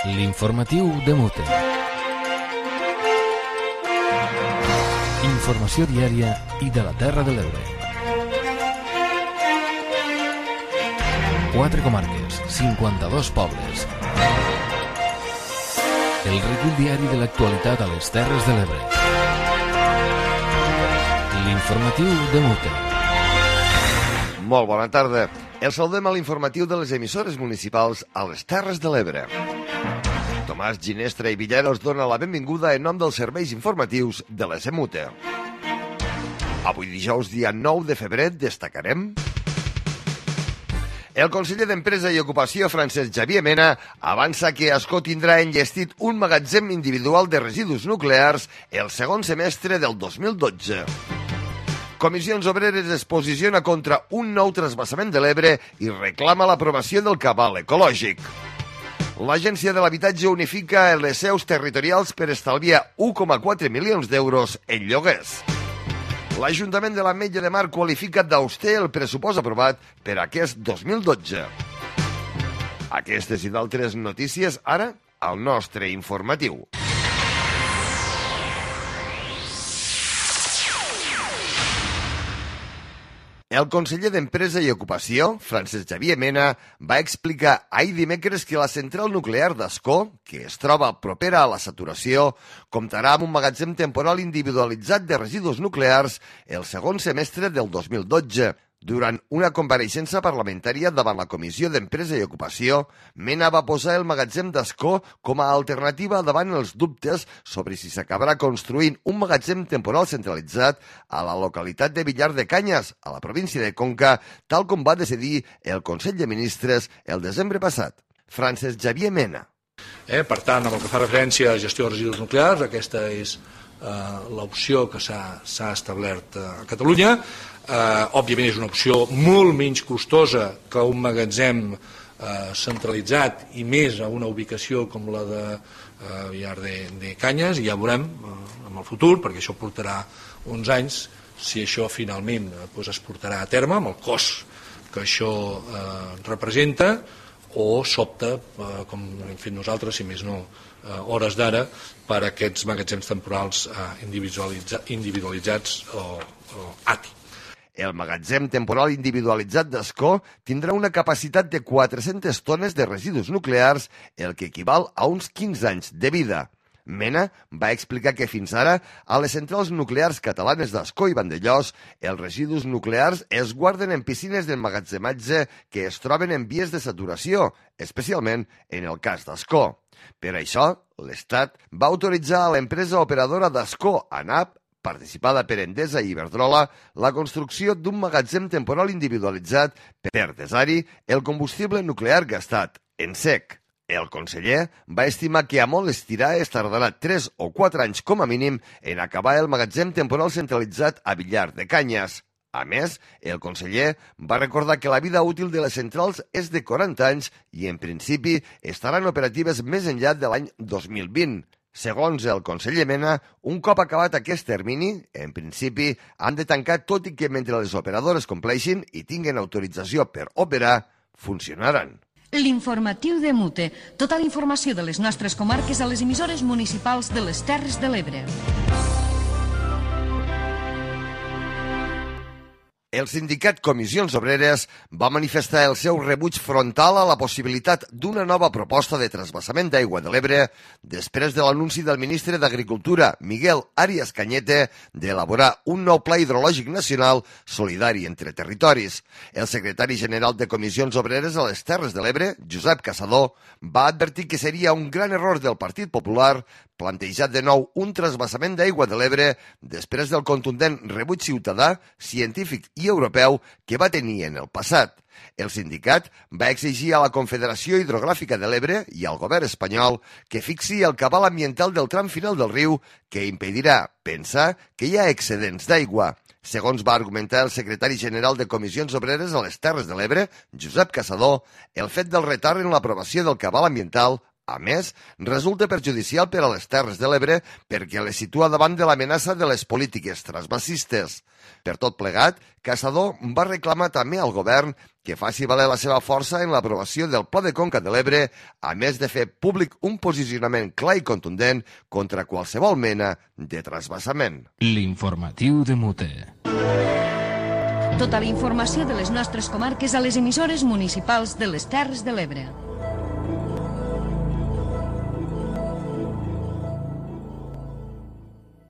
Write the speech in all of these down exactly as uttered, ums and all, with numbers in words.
L'informatiu de Mute. Informació diària i de la Terra de l'Ebre. Quatre comarques, cinquanta-dos pobles. El recull diari de l'actualitat a les Terres de l'Ebre. L'informatiu de Mute. Molt bona tarda. El saludem a l'informatiu de les emissores municipals a les Terres de l'Ebre. Tomàs Ginestra i Villera us dona la benvinguda en nom dels serveis informatius de l'S M U T E. Avui dijous, dia nou de febrer, destacarem... El conseller d'Empresa i Ocupació, Francesc Xavier Mena, avança que Ascó tindrà enllestit un magatzem individual de residus nuclears el segon semestre del dos mil dotze. Comissions Obreres es posiciona contra un nou transvasament de l'Ebre i reclama l'aprovació del cabal ecològic. L'Agència de l'Habitatge unifica les seus territorials per estalviar u coma quatre milions d'euros en lloguers. L'Ajuntament de l'Ametlla de Mar qualifica d'auster el pressupost aprovat per aquest dos mil dotze. Aquestes i d'altres notícies ara al nostre informatiu. El conseller d'Empresa i Ocupació, Francesc Xavier Mena, va explicar ahir dimecres que la central nuclear d'Ascó, que es troba propera a la saturació, comptarà amb un magatzem temporal individualitzat de residus nuclears el segon semestre del dos mil dotze. Durant una compareixença parlamentària davant la Comissió d'Empresa i Ocupació, Mena va posar el magatzem d'Ascó com a alternativa davant els dubtes sobre si s'acabarà construint un magatzem temporal centralitzat a la localitat de Villar de Canyes, a la província de Conca, tal com va decidir el Consell de Ministres el desembre passat. Francesc Xavier Mena. Eh, per tant, amb el que fa referència a gestió de residus nuclears, aquesta és eh, l'opció que s'ha establert a Catalunya. Uh, òbviament és una opció molt menys costosa que un magatzem uh, centralitzat i més a una ubicació com la de uh, Villar de, de Canyes, i ja veurem uh, en el futur, perquè això portarà uns anys, si això finalment uh, doncs es portarà a terme amb el cost que això uh, representa, o s'opta, uh, com hem fet nosaltres, si més no uh, hores d'ara, per aquests magatzems temporals uh, individualitza, individualitzats o, o A T I. El magatzem temporal individualitzat d'Ascó tindrà una capacitat de quatre-centes tones de residus nuclears, el que equival a uns quinze anys de vida. Mena va explicar que fins ara, a les centrals nuclears catalanes d'Ascó i Vandellòs, els residus nuclears es guarden en piscines d'emmagatzematge que es troben en vies de saturació, especialment en el cas d'Ascó. Per això, l'Estat va autoritzar a l'empresa operadora d'Ascó, ANAP, participada per Endesa i Iberdrola, la construcció d'un magatzem temporal individualitzat per desar-hi el combustible nuclear gastat en sec. El conseller va estimar que a molt estirar es tardarà tres o quatre anys com a mínim en acabar el magatzem temporal centralitzat a Villar de Canyes. A més, el conseller va recordar que la vida útil de les centrals és de quaranta anys i, en principi, estaran operatives més enllà de l'any dos mil vint. Segons el conseller Mena, un cop acabat aquest termini, en principi, han de tancar, tot i que mentre les operadores compleixin i tinguen autorització per operar, funcionaran. L'informatiu de Mute. Tota la informació de les nostres comarques a les emissores municipals de les Terres de l'Ebre. El sindicat Comissions Obreres va manifestar el seu rebuig frontal a la possibilitat d'una nova proposta de transvasament d'aigua de l'Ebre després de l'anunci del ministre d'Agricultura, Miguel Arias Cañete, d'elaborar un nou pla hidrològic nacional solidari entre territoris. El secretari general de Comissions Obreres a les Terres de l'Ebre, Josep Caçador, va advertir que seria un gran error del Partit Popular plantejat de nou un transvasament d'aigua de l'Ebre després del contundent rebuig ciutadà, científic i europeu que va tenir en el passat. El sindicat va exigir a la Confederació Hidrogràfica de l'Ebre i al govern espanyol que fixi el cabal ambiental del tram final del riu que impedirà pensar que hi ha excedents d'aigua. Segons va argumentar el secretari general de Comissions Obreres a les Terres de l'Ebre, Josep Caçador, el fet del retard en l'aprovació del cabal ambiental A més, resulta perjudicial per a les Terres de l'Ebre perquè les situa davant de l'amenaça de les polítiques transvasistes. Per tot plegat, Caçador va reclamar també al govern que faci valer la seva força en l'aprovació del Pla de Conca de l'Ebre, a més de fer públic un posicionament clar i contundent contra qualsevol mena de transvasament. L'informatiu de Mute. Tota la informació de les nostres comarques a les emissores municipals de les Terres de l'Ebre.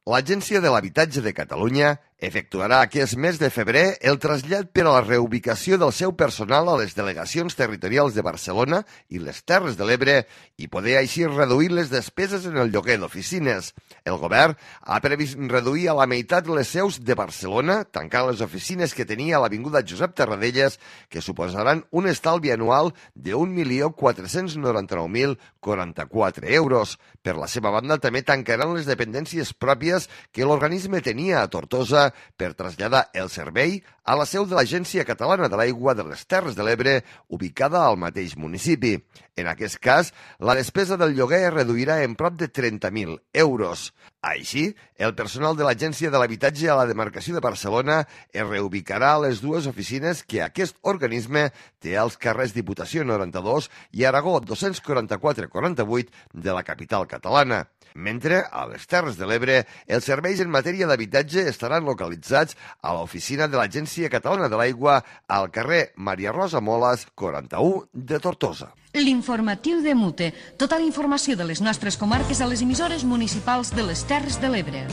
L'Agència de l'Habitatge de Catalunya efectuarà aquest mes de febrer el trasllat per a la reubicació del seu personal a les delegacions territorials de Barcelona i les Terres de l'Ebre i poder així reduir les despeses en el lloguer d'oficines. El govern ha previst reduir a la meitat les seus de Barcelona, tancant les oficines que tenia a l'Avinguda Josep Tarradellas, que suposaran un estalvi anual de un milió quatre-cents noranta-nou mil quaranta-quatre euros. Per la seva banda, també tancaran les dependències pròpies que l'organisme tenia a Tortosa per traslladar el servei a la seu de l'Agència Catalana de l'Aigua de les Terres de l'Ebre, ubicada al mateix municipi. En aquest cas, la despesa del lloguer es reduirà en prop de trenta mil euros. Així, el personal de l'Agència de l'Habitatge a la demarcació de Barcelona es reubicarà a les dues oficines que aquest organisme té als carrers Diputació noranta-dos i Aragó dos-cents quaranta-quatre quaranta-vuit de la capital catalana. Mentre, a les Terres de l'Ebre, els serveis en matèria d'habitatge estaran localitzats a l'oficina de l'Agència Catalana de l'Aigua al carrer Maria Rosa Molas, quaranta-u de Tortosa. L'informatiu de Mute. Tota la informació de les nostres comarques a les emissores municipals de les Terres de l'Ebre.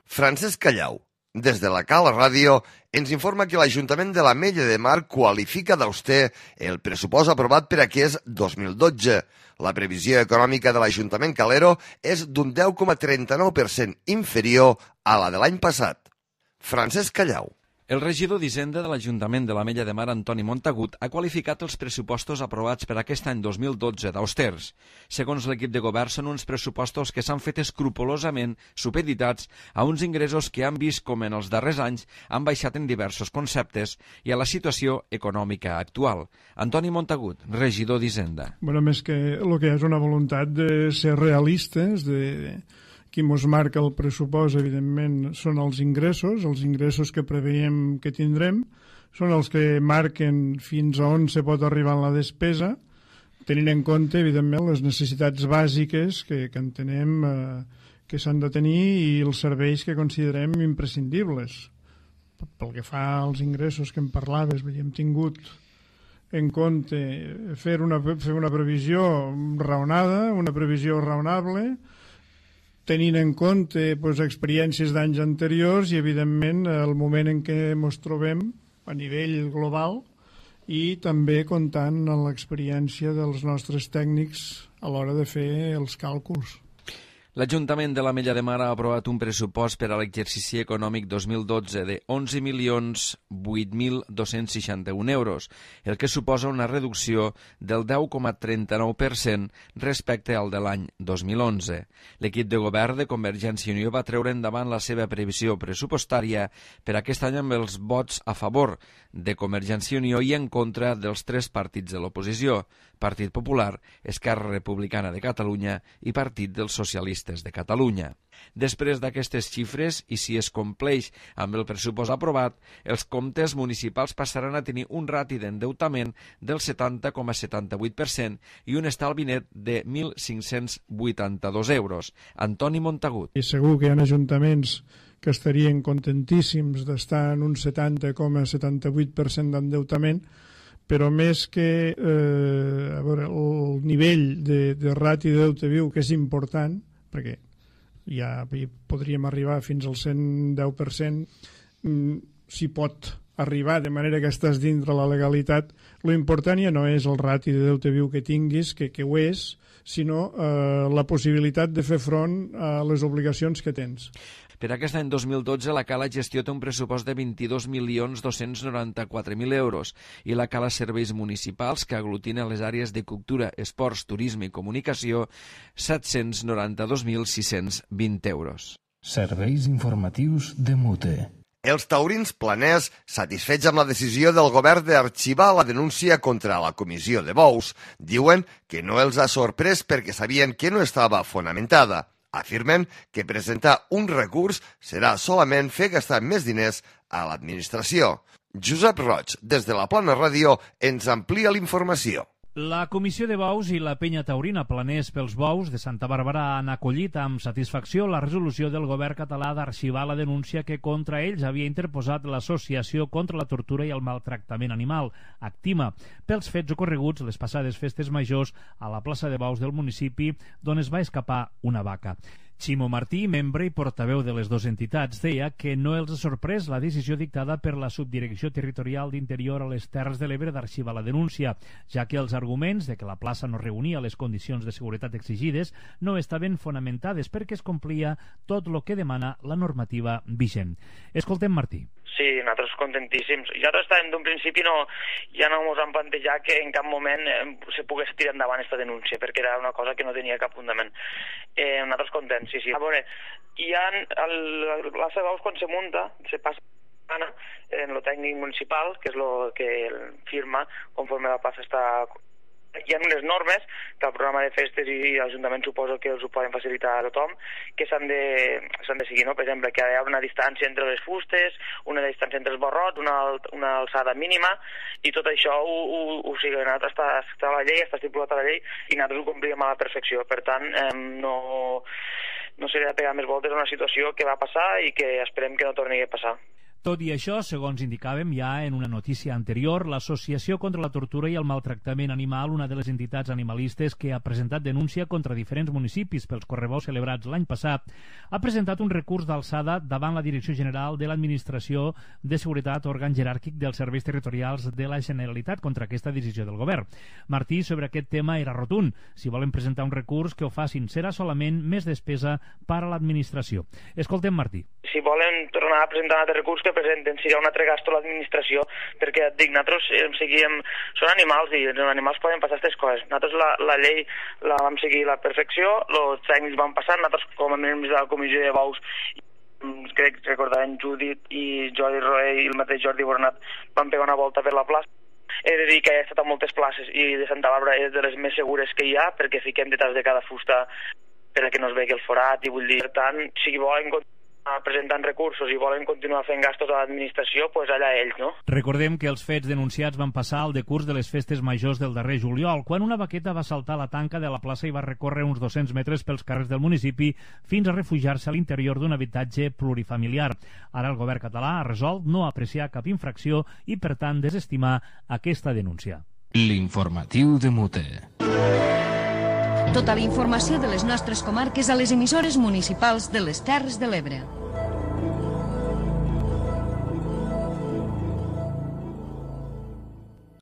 Francesc Callau, des de la Cala Ràdio, ens informa que l'Ajuntament de l'Ametlla de Mar qualifica d'auster el pressupost aprovat per aquest dos mil dotze. La previsió econòmica de l'Ajuntament calero és d'un deu coma trenta-nou per cent inferior a la de l'any passat. Francesc Callau. El regidor d'Hisenda de l'Ajuntament de l'Ametlla de Mar, Antoni Montagut, ha qualificat els pressupostos aprovats per aquest any dos mil dotze d'austers. Segons l'equip de govern, són uns pressupostos que s'han fet escrupolosament supeditats a uns ingressos que han vist com en els darrers anys han baixat en diversos conceptes i a la situació econòmica actual. Antoni Montagut, regidor d'Hisenda. Bueno, més que el que és una voluntat de ser realistes, de... Qui mos marca el pressupost, evidentment, són els ingressos, els ingressos que preveiem que tindrem, són els que marquen fins a on se pot arribar en la despesa, tenint en compte, evidentment, les necessitats bàsiques que, que entenem eh, que s'han de tenir i els serveis que considerem imprescindibles. Pel que fa als ingressos que em parlaves, hem tingut en compte fer una, fer una previsió raonada, una previsió raonable, tenint en compte pues, experiències d'anys anteriors i, evidentment, el moment en què ens trobem a nivell global i també comptant amb l'experiència dels nostres tècnics a l'hora de fer els càlculs. L'Ajuntament de l'Ametlla de Mar ha aprovat un pressupost per a l'exercici econòmic dos mil dotze de onze milions vuit mil dos-cents seixanta-un euros, el que suposa una reducció del deu coma trenta-nou per cent respecte al de l'any dos mil onze. L'equip de govern de Convergència i Unió va treure endavant la seva previsió pressupostària per aquest any amb els vots a favor de Convergència i Unió i en contra dels tres partits de l'oposició, Partit Popular, Esquerra Republicana de Catalunya i Partit dels Socialistes de Catalunya. Després d'aquestes xifres, i si es compleix amb el pressupost aprovat, els comptes municipals passaran a tenir un rati d'endeutament del setanta coma setanta-vuit per cent i un estalvi net de mil cinc-cents vuitanta-dos euros. Antoni Montagut. I segur que hi ha ajuntaments que estarien contentíssims d'estar en un setanta coma setanta-vuit per cent d'endeutament, però més que eh, a veure, el nivell de, de rati de deute viu, que és important, perquè ja podríem arribar fins al cent deu per cent, s'hi pot arribar de manera que estàs dintre la legalitat. Lo important ja no és el rati de deute viu que tinguis, que, que ho és, sinó eh, la possibilitat de fer front a les obligacions que tens. Per aquest any dos mil dotze, la Cala Gestió té un pressupost de vint-i-dos milions dos-cents noranta-quatre mil euros i la Cala Serveis Municipals, que aglutina les àrees de cultura, esports, turisme i comunicació, set-cents noranta-dos mil sis-cents vint euros. Serveis informatius de Mute. Els taurins planers, satisfets amb la decisió del govern d'arxivar la denúncia contra la comissió de bous, diuen que no els ha sorprès perquè sabien que no estava fonamentada. Afirmen que presentar un recurs serà solament fer gastar més diners a l'administració. Josep Roig, des de la Plana Ràdio, ens amplia la informació. La Comissió de Bous i la Penya Taurina Planers pels Bous de Santa Bàrbara han acollit amb satisfacció la resolució del govern català d'arxivar la denúncia que contra ells havia interposat l'Associació contra la Tortura i el Maltractament Animal, Actima, pels fets ocorreguts les passades festes majors a la plaça de Bous del municipi, d'on es va escapar una vaca. Ximo Martí, membre i portaveu de les dues entitats, deia que no els ha sorprès la decisió dictada per la Subdirecció Territorial d'Interior a les Terres de l'Ebre d'arxivar la denúncia, ja que els arguments de que la plaça no reunia les condicions de seguretat exigides no estaven fonamentades perquè es complia tot el que demana la normativa vigent. Escoltem Martí. Sí, nosaltres contentíssims. Ja estàvem d'un principi, no, ja no ens han plantejat que en cap moment eh, se pogués tirar endavant aquesta denúncia, perquè era una cosa que no tenia cap fundament. Eh, nosaltres contents, sí, sí. A veure, hi ha el, la plaça de Bous quan se munta, se passa en el tècnic municipal, que és el que firma conforme la plaça està... Hi ha unes normes que el programa de festes i l'Ajuntament suposo que els ho poden facilitar a tothom, que s'han de, s'han de seguir, no? Per exemple, que hi ha una distància entre les fustes, una distància entre els barrots, una, una alçada mínima, i tot això ho, ho, ho sigui, està, està a la llei, està estipulat a la llei, i nosaltres ho complíem a la perfecció. Per tant, eh, no, no seria pegar més voltes a una situació que va passar i que esperem que no torni a passar. Tot i això, segons indicàvem ja en una notícia anterior, l'Associació contra la Tortura i el Maltractament Animal, una de les entitats animalistes que ha presentat denúncia contra diferents municipis pels correbous celebrats l'any passat, ha presentat un recurs d'alçada davant la Direcció General de l'Administració de Seguretat, òrgan jeràrquic dels serveis territorials de la Generalitat contra aquesta decisió del govern. Martí, sobre aquest tema, era rotund. Si volen presentar un recurs, que ho facin. Serà solament més despesa per a l'administració. Escoltem Martí. Si volen tornar a presentar un altre recurs, que presenten, serà un altre gasto a l'administració, perquè et dic, nosaltres eh, seguíem, són animals i els animals poden passar aquestes coses. Nosaltres la, la llei la vam seguir a la perfecció, els tècnics van passar, nosaltres com a membres de la comissió de Bous, crec que recordaven Judit i Jordi Roé i el mateix Jordi Bornat van pegar una volta per la plaça. He de dir que he estat a moltes places i de Santa Bàrbara és de les més segures que hi ha, perquè fiquem detrás de cada fusta perquè no es vegi el forat, i vull dir, per tant, si volen presentant recursos i volen continuar fent gastos a l'administració, doncs pues allà ells, no? Recordem que els fets denunciats van passar al decurs de les festes majors del darrer juliol, quan una vaqueta va saltar la tanca de la plaça i va recórrer uns dos-cents metres pels carrers del municipi fins a refugiar-se a l'interior d'un habitatge plurifamiliar. Ara el govern català ha resolt no apreciar cap infracció i, per tant, desestimar aquesta denúncia. L'informatiu de Mute. Tota la informació de les nostres comarques a les emissores municipals de les Terres de l'Ebre.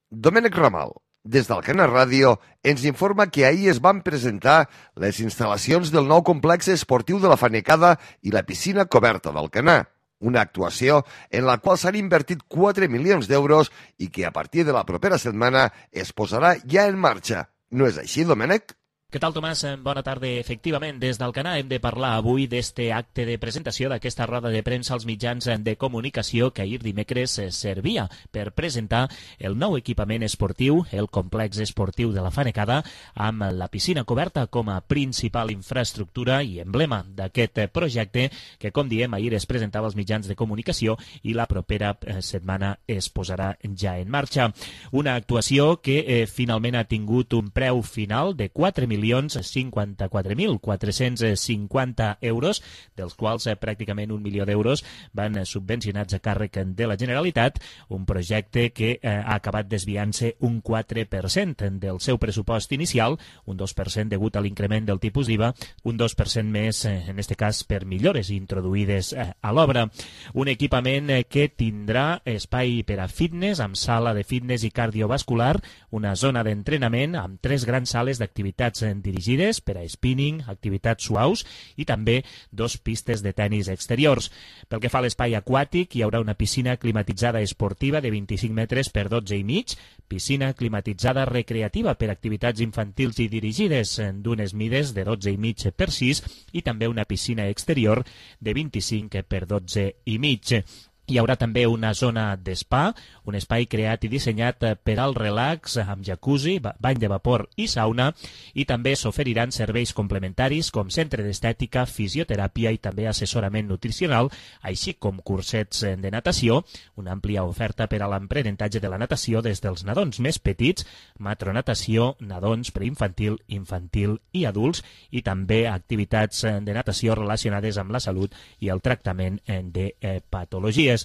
Domènec Ramal, des d'Alcana Ràdio, ens informa que ahir es van presentar les instal·lacions del nou complex esportiu de la Fanecada i la piscina coberta d'Alcanar. Una actuació en la qual s'han invertit quatre milions d'euros i que a partir de la propera setmana es posarà ja en marxa. No és així, Domènec? Què tal, Tomàs? Bona tarda. Efectivament, des d'Alcanar hem de parlar avui d'este acte de presentació d'aquesta roda de premsa als mitjans de comunicació que ahir dimecres servia per presentar el nou equipament esportiu, el complex esportiu de la Fanecada, amb la piscina coberta com a principal infraestructura i emblema d'aquest projecte que, com diem, ahir es presentava als mitjans de comunicació i la propera setmana es posarà ja en marxa. Una actuació que eh, finalment ha tingut un preu final de quatre milions cinquanta-quatre mil quatre-cents cinquanta euros, dels quals eh, pràcticament un milió d'euros van subvencionats a càrrec de la Generalitat, un projecte que eh, ha acabat desviant-se un quatre per cent del seu pressupost inicial, un dos per cent degut a l'increment del tipus d'I V A, un dos per cent més, eh, en aquest cas, per millores introduïdes eh, a l'obra. Un equipament eh, que tindrà espai per a fitness, amb sala de fitness i cardiovascular, una zona d'entrenament amb tres grans sales d'activitats dirigides per a spinning, activitats suaus i també dos pistes de tenis exteriors. Pel que fa a l'espai aquàtic, hi haurà una piscina climatitzada esportiva de vint-i-cinc metres per dotze i mig, piscina climatitzada recreativa per activitats infantils i dirigides d'unes mides de dotze i mig per sis i també una piscina exterior de vint-i-cinc per dotze i mig. Hi haurà també una zona d'espa, un espai creat i dissenyat per al relax amb jacuzzi, bany de vapor i sauna, i també s'oferiran serveis complementaris com centre d'estètica, fisioteràpia i també assessorament nutricional, així com cursets de natació, una àmplia oferta per a l'aprenentatge de la natació des dels nadons més petits, matronatació, nadons preinfantil, infantil i adults, i també activitats de natació relacionades amb la salut i el tractament de patologies.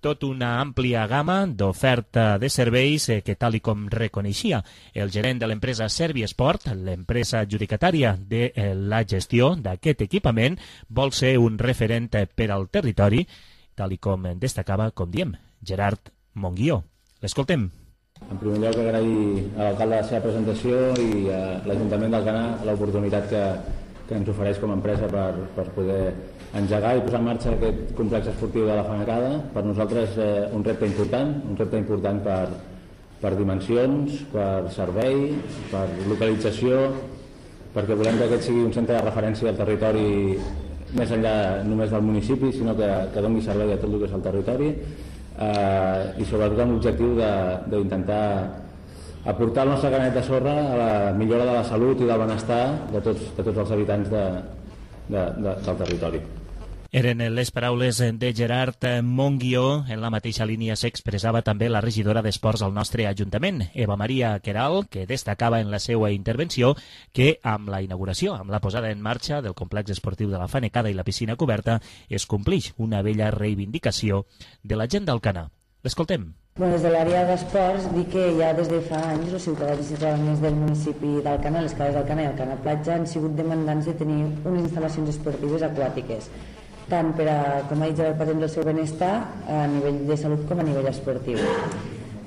Tot una àmplia gamma d'oferta de serveis que, tal i com reconeixia el gerent de l'empresa Serviesport, l'empresa adjudicatària de la gestió d'aquest equipament, vol ser un referent per al territori, tal i com destacava, com diem, Gerard Monguió. L'escoltem. En primer lloc, agrair a l'alcalde la seva presentació i a l'Ajuntament d'Alcanar l'oportunitat que, que ens ofereix com a empresa per, per poder engegar i posar en marxa aquest complex esportiu de la Fanecada. Per nosaltres eh, un repte important, un repte important per, per dimensions, per servei, per localització, perquè volem que aquest sigui un centre de referència del territori més enllà només del municipi, sinó que, que doni servei a tot el que és el territori, eh, i sobretot amb l'objectiu d'intentar aportar el nostre granet de sorra a la millora de la salut i del benestar de tots, de tots els habitants de, de, de, del territori. Eren les paraules de Gerard Monguió. En la mateixa línia s'expressava també la regidora d'Esports al nostre Ajuntament, Eva Maria Queralt, que destacava en la seva intervenció que amb la inauguració, amb la posada en marxa del complex esportiu de la Fanecada i la piscina coberta, es complix una vella reivindicació de la gent d'Alcanar. L'escoltem. Bueno, des de l'àrea d'esports, dir que ja des de fa anys els ciutadans i ciutadanes del municipi d'Alcanar, les cases d'Alcanar i Alcanar Platja, han sigut demandants de tenir unes instal·lacions esportives aquàtiques, tant per a, com ha dit Gerard, per el seu benestar a nivell de salut com a nivell esportiu.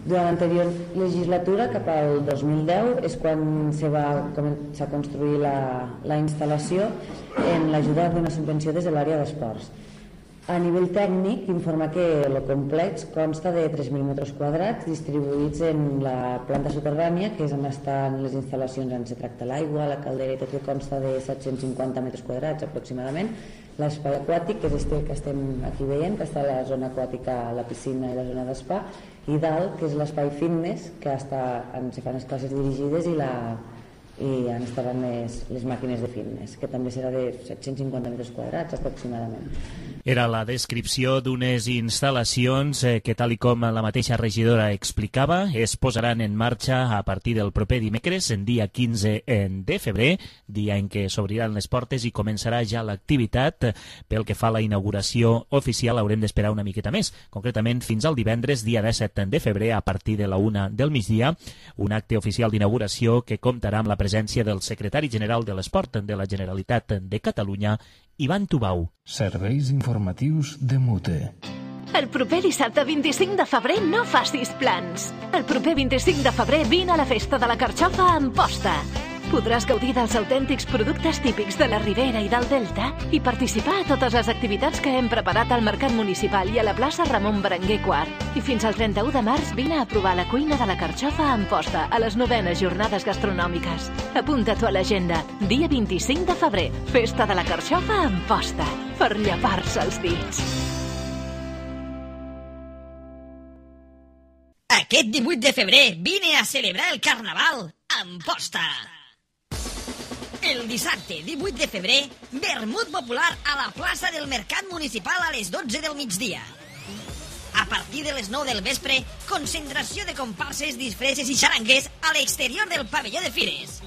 Durant l'anterior legislatura, cap al dos mil deu, és quan se va començar a construir la, la instal·lació en l'ajuda d'una subvenció des de l'àrea d'esports. A nivell tècnic, informa que el complex consta de tres mil metres quadrats distribuïts en la planta soterrània, que és on estan les instal·lacions on se tracta l'aigua, la caldera i tot, que consta de set-cents cinquanta metres quadrats aproximadament. L'espai aquàtic, que és este que estem aquí veient, que està a la zona aquàtica, la piscina i la zona d'espa, i dalt, que és l'espai fitness, que està, on se fan les classes dirigides i la i on estaran les, les màquines de fitness, que també serà de set-cents cinquanta metres quadrats aproximadament. Era la descripció d'unes instal·lacions que, tal i com la mateixa regidora explicava, es posaran en marxa a partir del proper dimecres, en dia quinze de febrer, dia en què s'obriran les portes i començarà ja l'activitat. Pel que fa a la inauguració oficial haurem d'esperar una miqueta més, concretament fins al divendres, dia disset de febrer, a partir de la una del migdia, un acte oficial d'inauguració que comptarà amb la presència del secretari general de l'Esport de la Generalitat de Catalunya, Ivan Tubau. Serveis informatius de Mute. El proper dissabte vint-i-cinc de febrer no facis plans. El proper vint-i-cinc de febrer vine a la festa de la carxofa a Amposta. Podràs gaudir dels autèntics productes típics de la Ribera i del Delta i participar a totes les activitats que hem preparat al Mercat Municipal i a la plaça Ramon Berenguer quart. I fins al trenta-u de març vine a provar la cuina de la carxofa a Amposta a les novenes jornades gastronòmiques. Apunta-t'ho a l'agenda. Dia vint-i-cinc de febrer, festa de la carxofa a Amposta, per llepar-se els dits. Aquest divuit de febrer vine a celebrar el Carnaval a Amposta. El dissabte divuit de febrer, vermut popular a la plaça del Mercat Municipal a les dotze del migdia. A partir de les nou del vespre, concentració de comparses, disfresses i xaranguers a l'exterior del pavelló de Fires.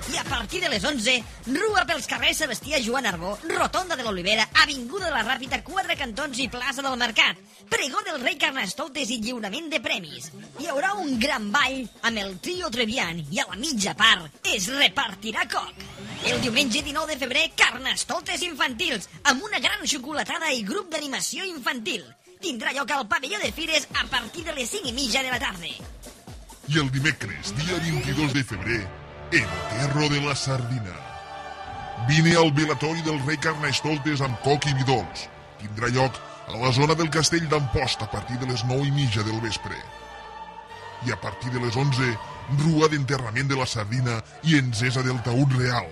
I a partir de les onze, rua pels carrers Sebastià Joan Arbó, Rotonda de l'Olivera, Avinguda de la Ràpita, Quatre Cantons i plaça del Mercat. Pregó del rei Carnestoltes i lliurament de premis. Hi haurà un gran ball amb el trio Trevian i a la mitja part es repartirà coc. El diumenge dinou de febrer, Carnestoltes infantils, amb una gran xocolatada i grup d'animació infantil. Tindrà lloc al pavelló de Fires a partir de les cinc i mitja de la tarda. I el dimecres, dia vint-i-dos de febrer, Enterro de la Sardina. Vine al velatori del rei Carnestoltes amb coc i vi dolç. Tindrà lloc a la zona del castell d'Amposta a partir de les nou i mitja del vespre. I a partir de les onze, rua d'enterrament de la sardina i encesa del taüt real.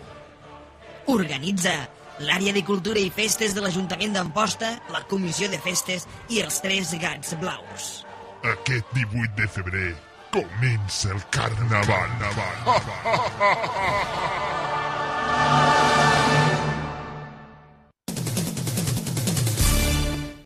Organitza l'àrea de cultura i festes de l'Ajuntament d'Amposta, la comissió de festes i els tres gats blaus. Aquest divuit de febrer comença el carnaval.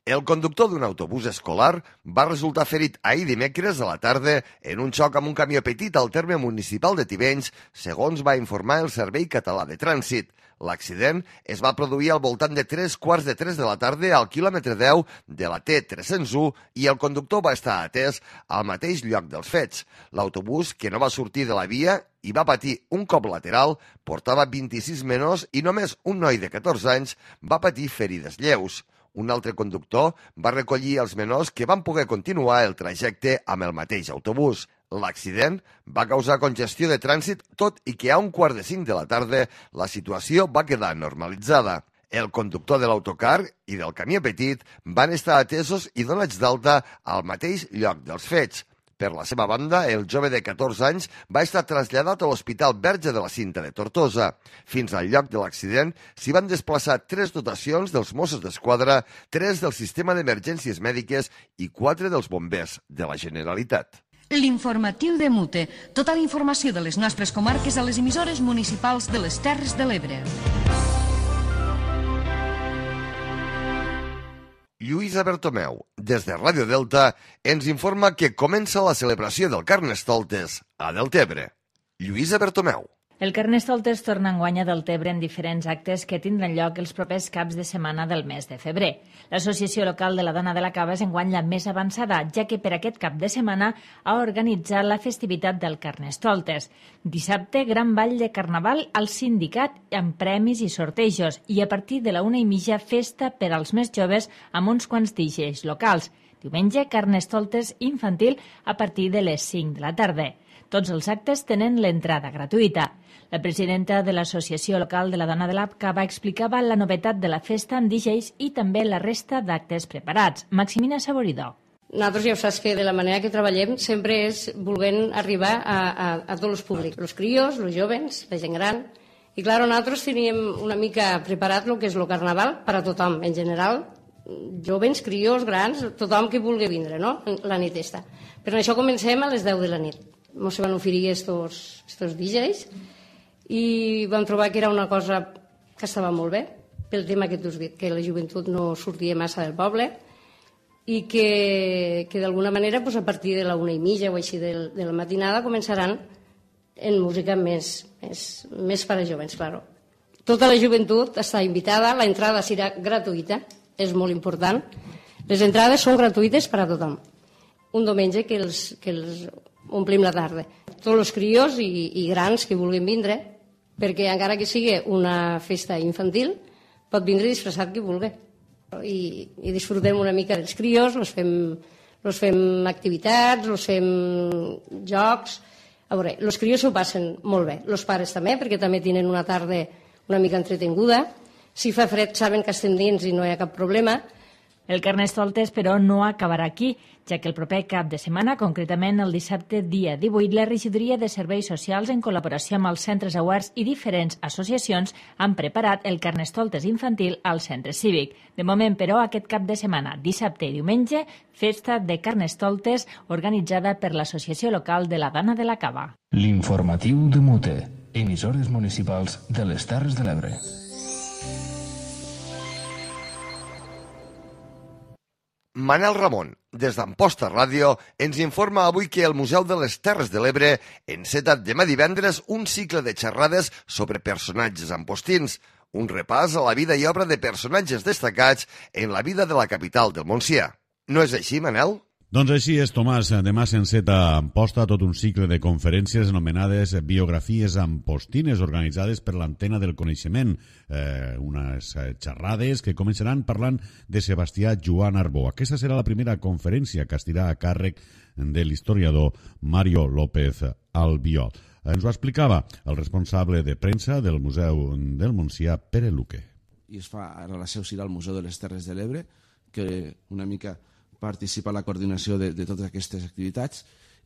El conductor d'un autobús escolar va resultar ferit ahir dimecres a la tarda en un xoc amb un camió petit al terme municipal de Tivenys, segons va informar el Servei Català de Trànsit. L'accident es va produir al voltant de tres quarts de tres de la tarda al quilòmetre deu de la T tres-cents u i el conductor va estar atès al mateix lloc dels fets. L'autobús, que no va sortir de la via i va patir un cop lateral, portava vint-i-sis menors i només un noi de catorze anys va patir ferides lleus. Un altre conductor va recollir els menors que van poder continuar el trajecte amb el mateix autobús. L'accident va causar congestió de trànsit, tot i que a un quart de cinc de la tarda la situació va quedar normalitzada. El conductor de l'autocar i del camió petit van estar atesos i donats d'alta al mateix lloc dels fets. Per la seva banda, el jove de catorze anys va estar traslladat a l'Hospital Verge de la Cinta de Tortosa. Fins al lloc de l'accident s'hi van desplaçar tres dotacions dels Mossos d'Esquadra, tres del Sistema d'Emergències Mèdiques i quatre dels bombers de la Generalitat. L'informatiu de Mute. Tota la informació de les nostres comarques a les emissores municipals de les Terres de l'Ebre. Lluïsa Bertomeu, des de Ràdio Delta, ens informa que comença la celebració del Carnestoltes a Deltebre. Lluïsa Bertomeu. El Carnestoltes torna enguany a Deltebre en diferents actes que tindran lloc els propers caps de setmana del mes de febrer. L'Associació Local de la Dona de la Cava és enguany la més avançada, ja que per aquest cap de setmana ha organitzat la festivitat del Carnestoltes. Dissabte, gran ball de carnaval al sindicat amb premis i sortejos i a partir de la una i mitja festa per als més joves amb uns quants D Js locals. Diumenge, Carnestoltes infantil a partir de les cinc de la tarda. Tots els actes tenen l'entrada gratuïta. La presidenta de l'Associació Local de la Dona de la Cava explicava la novetat de la festa amb D Js i també la resta d'actes preparats. Maximina Saboridó. Nosaltres ja ho saps que de la manera que treballem sempre és volent arribar a, a, a tots els públics, els crios, els jovens, la gent gran. I clar, nosaltres teníem una mica preparat el que és el carnaval per a tothom, en general, jovens, crios, grans, tothom que vulgui vindre, no?, la nit esta. Per això comencem a les deu de la nit. Ens van oferir estos, estos D Js i vam trobar que era una cosa que estava molt bé, pel tema que tu has dit, que la joventut no sortia massa del poble i que, que d'alguna manera pues, a partir de la una i mitja o així de, de la matinada començaran en música més, més, més per a jovens, claro. Tota la joventut està invitada, la entrada serà gratuïta, és molt important. Les entrades són gratuïtes per a tothom. Un diumenge que els, que els omplim la tarda. Tots els crios i, i grans que vulguin vindre, perquè encara que sigui una festa infantil, pot vindre disfressat qui vulgui. I, i disfrutem una mica dels crios, els fem, els fem activitats, els fem jocs. A veure, els crios s'ho passen molt bé, els pares també, perquè també tenen una tarda una mica entretinguda. Si fa fred saben que estem dins i no hi ha cap problema. El Carnestoltes, però, no acabarà aquí, ja que el proper cap de setmana, concretament el dissabte dia divuit, la Regidoria de Serveis Socials, en col·laboració amb els centres oberts i diferents associacions, han preparat el Carnestoltes infantil al centre cívic. De moment, però, aquest cap de setmana, dissabte i diumenge, festa de Carnestoltes organitzada per l'Associació Local de la Dona de la Cava. L'informatiu de Mute, emissores municipals de les Terres de l'Ebre. Manel Ramon, des d'Amposta Ràdio, ens informa avui que el Museu de les Terres de l'Ebre enceta demà divendres un cicle de xerrades sobre personatges ampostins, un repàs a la vida i obra de personatges destacats en la vida de la capital del Montsià. No és així, Manel? Doncs així és, Tomàs. Demà s'enceta a Amposta tot un cicle de conferències anomenades biografies ampostines organitzades per l'Antena del Coneixement. Eh, unes xerrades que començaran parlant de Sebastià Joan Arbó. Aquesta serà la primera conferència que estirà a càrrec de l'historiador Mario López Albiol. Ens ho explicava el responsable de premsa del Museu del Montsià, Pere Luque. I es fa ara la seu serà al Museu de les Terres de l'Ebre, que una mica participa en la coordinació de, de totes aquestes activitats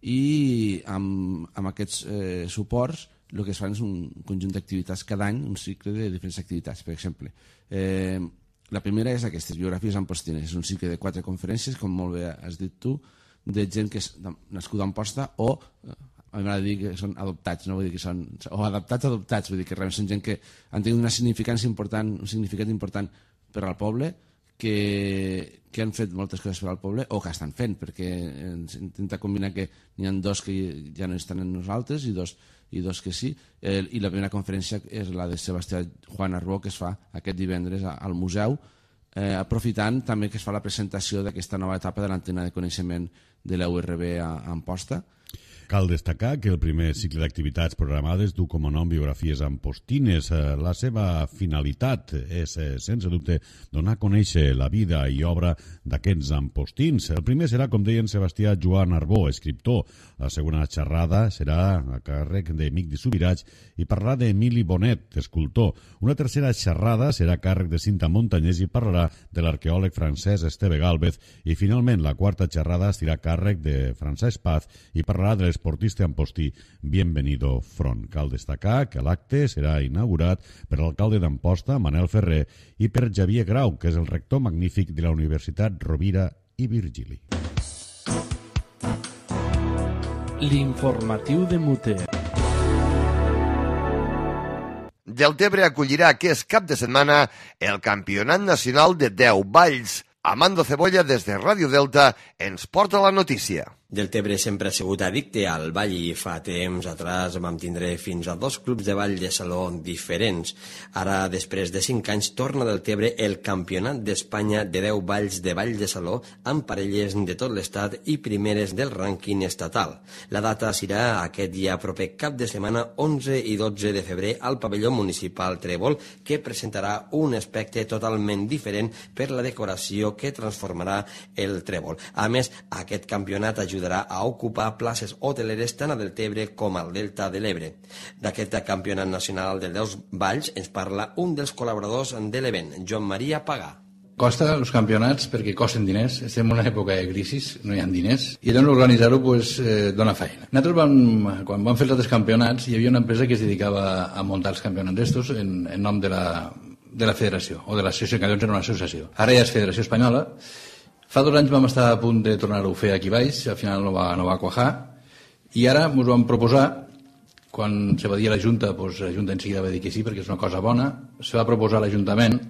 i amb, amb aquests eh, suports el que es fan és un conjunt d'activitats cada any, un cicle de diferents activitats. Per exemple, eh, la primera és aquestes, biografies ampostines. És un cicle de quatre conferències, com molt bé has dit tu, de gent que és nascuda a Amposta o, a mi m'agrada dir que són adoptats, no vull dir que són, o adaptats adoptats, vull dir que realment són gent que han tingut una significància important, un significat important per al poble, que, que han fet moltes coses per al poble o que estan fent, perquè intenta combinar que n'hi ha dos que ja no estan en nosaltres i dos, i dos que sí. Eh, I la primera conferència és la de Sebastià Juan Arbó, que es fa aquest divendres al museu, eh, aprofitant també que es fa la presentació d'aquesta nova etapa de l'antena de coneixement de la U R B a, a Amposta. Cal destacar que el primer cicle d'activitats programades du com a nom biografies ampostines. La seva finalitat és, sense dubte, donar a conèixer la vida i obra d'aquests ampostins. El primer serà, com deien, Sebastià Joan Arbó, escriptor. La segona xerrada serà a càrrec d'Emic de Subirats i parlarà d'Emili Bonet, escultor. Una tercera xerrada serà a càrrec de Cinta Montañés i parlarà de l'arqueòleg francès Esteve Gálvez. I, finalment, la quarta xerrada estarà a càrrec de Francesc Paz i parlarà de l'esportista ampostí Bienvenido Front. Cal destacar que l'acte serà inaugurat per l'alcalde d'Amposta, Manel Ferrer, i per Xavier Grau, que és el rector magnífic de la Universitat Rovira i Virgili. L'informatiu de Mute. Deltebre acollirà aquest cap de setmana el Campionat Nacional de deu Valls. Amando Cebolla, des de Ràdio Delta, ens porta la notícia. Deltebre sempre ha sigut addicte al ball i fa temps atrás vam tindre fins a dos clubs de ball de saló diferents. Ara, després de cinc anys, torna Deltebre el Campionat d'Espanya de deu balls de ball de saló amb parelles de tot l'estat i primeres del rànquing estatal. La data serà aquest dia proper cap de setmana onze i dotze de febrer al pavelló municipal Trèvol, que presentarà un aspecte totalment diferent per la decoració que transformarà el Trèvol. A més, aquest campionat ajudarà a ocupar places hoteleres tant a Deltebre com al Delta de l'Ebre. D'aquest campionat nacional de deu balls ens parla un dels col·laboradors de l'event, Joan Maria Pagà. Costa els campionats perquè costen diners, estem en una època de crisi, no hi ha diners, i llavors organitzar-ho pues, eh, dona feina. Nosaltres vam, quan vam fer els altres campionats hi havia una empresa que es dedicava a muntar els campionats d'estos en, en nom de la, de la federació, o de l'associació, que llavors era una associació. Ara ja és Federació Espanyola. Fa dos anys vam estar a punt de tornar-ho a fer aquí baix, al final no va, no va quajar, i ara ens vam proposar, quan se va dir a la Junta, doncs la Junta en seguida va dir que sí, perquè és una cosa bona, se va proposar a l'Ajuntament,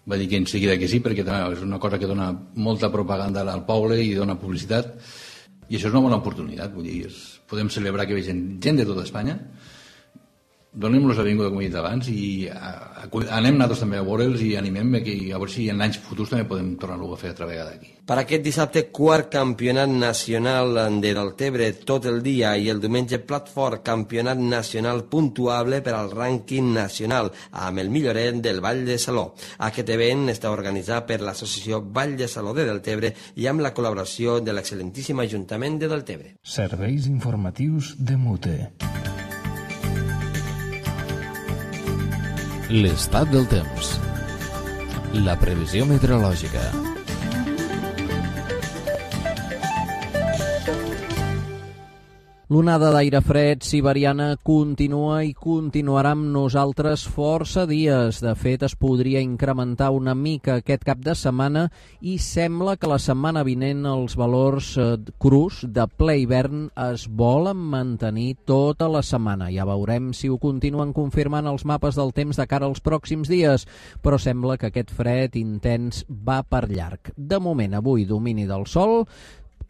va dir que en seguida que sí, perquè és una cosa que dona molta propaganda al poble i dona publicitat, i això és una bona oportunitat, vull dir, és, podem celebrar que vegin gent de tota Espanya, donem-los la benvinguda, com he dit abans, i a, a, anem nosaltres també a veure'ls i animem que a veure si en anys futurs també podem tornar-ho a fer altra vegada aquí. Per aquest dissabte, quart campionat nacional de Deltebre tot el dia i el diumenge plat fort, campionat nacional puntuable per al rànquing nacional amb el milloret del Ball de Saló. Aquest event està organitzat per l'associació Ball de Saló de Deltebre i amb la col·laboració de l'excel·lentíssim Ajuntament de Deltebre. Serveis informatius de Mute. L'estat del temps. La previsió meteorològica. L'onada d'aire fred siberiana continua i continuarà amb nosaltres força dies. De fet, es podria incrementar una mica aquest cap de setmana i sembla que la setmana vinent els valors crus de ple hivern es volen mantenir tota la setmana. Ja veurem si ho continuen confirmant els mapes del temps de cara als pròxims dies, però sembla que aquest fred intens va per llarg. De moment, avui, domini del sol,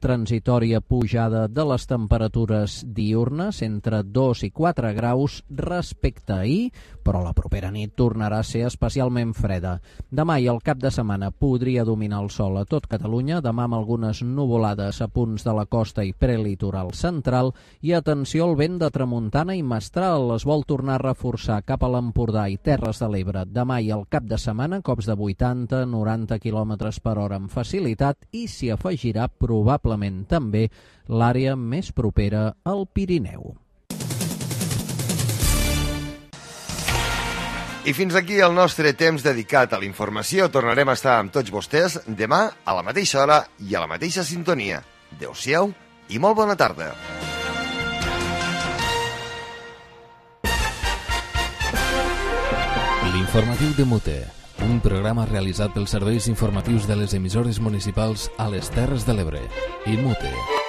transitòria pujada de les temperatures diurnes entre dos i quatre graus respecte a ahir, però la propera nit tornarà a ser especialment freda. Demà i el cap de setmana podria dominar el sol a tot Catalunya, demà amb algunes nuvolades a punts de la costa i prelitoral central, i atenció al vent de tramuntana i mestral, es vol tornar a reforçar cap a l'Empordà i Terres de l'Ebre. Demà i el cap de setmana, cops de vuitanta a noranta quilòmetres per hora amb facilitat, i s'hi afegirà probablement també l'àrea més propera al Pirineu. I fins aquí el nostre temps dedicat a la informació. Tornarem a estar amb tots vostès demà a la mateixa hora i a la mateixa sintonia. Adéu-siau i molt bona tarda. L'informatiu de Mute, un programa realitzat pels serveis informatius de les emissores municipals a les Terres de l'Ebre. I Mute.